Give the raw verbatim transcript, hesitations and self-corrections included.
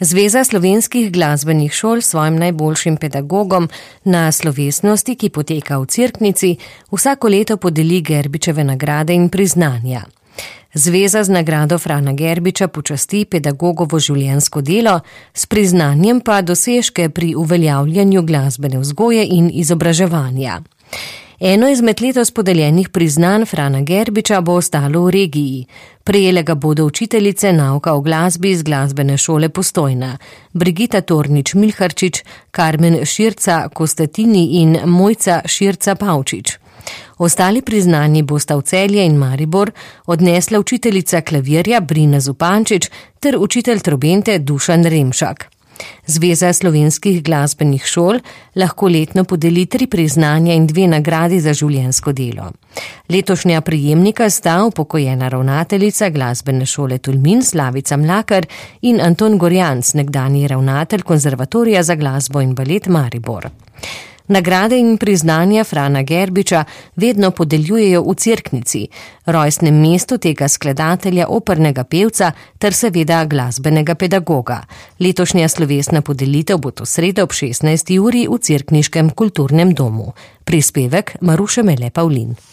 Zveza slovenskih glasbenih šol svojim najboljšim pedagogom na slovesnosti, ki poteka v Cerknici, vsako leto podeli Gerbičeve nagrade in priznanja. Zveza z nagrado Frana Gerbiča počasti pedagogovo življenjsko delo, s priznanjem pa dosežke pri uveljavljanju glasbene vzgoje in izobraževanja. Eno izmed letos podeljenih priznanj Frana Gerbiča bo ostalo v regiji. Prejele ga bodo učiteljice nauka o glasbi iz glasbene šole Postojna, Brigita Tornič-Milharčič, Karmen Širca-Kostatini in Mojca Širca-Pavčič. Ostali priznanji bosta v Celje in Maribor odnesla učiteljica klavirja Brina Zupančič ter učitelj trobente Dušan Remšak. Zveza slovenskih glasbenih šol lahko letno podeli tri priznanja in dve nagradi za življenjsko delo. Letošnja prejemnika sta upokojena ravnateljica glasbene šole Tolmin Slavica Mlakar in Anton Gorjanc, nekdanji ravnatelj Konzervatorija za glasbo in balet Maribor. Nagrade in priznanja Frana Gerbiča vedno podeljujejo v Cerknici, rojstnem mestu tega skladatelja, opernega pevca ter seveda glasbenega pedagoga. Letošnja slovesna podelitev bo to sredo ob šestnajsti uri v cerkniškem kulturnem domu. Prispevek Maruše Mele Pavlin.